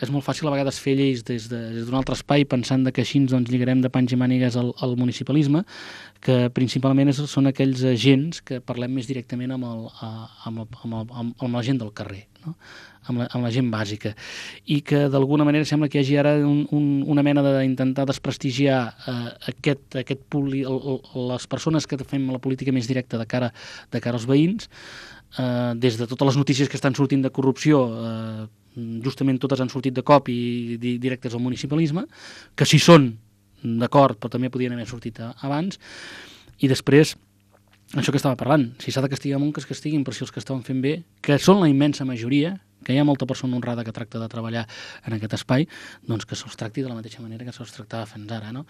és molt fàcil a vegades fer lleis des d'un altre espai pensant que així ens lligarem de panys i mànigues al municipalisme, que principalment són aquells agents que parlem més directament amb la gent del carrer, no? amb la gent bàsica, i que d'alguna manera sembla que hi hagi ara una mena d'intentar desprestigiar les persones que fem la política més directa de cara als veïns, des de totes les notícies que estan sortint de corrupció, justament totes han sortit de cop i directes al municipalisme, que si són d'acord però també podien haver sortit abans, i després això que estava parlant, si s'ha de castigar molt, que es castiguin, però si els que estaven fent bé, que són la immensa majoria, que hi ha molta persona honrada que tracta de treballar en aquest espai, doncs que se'ls tracti de la mateixa manera que se'ls tractava fins ara, no?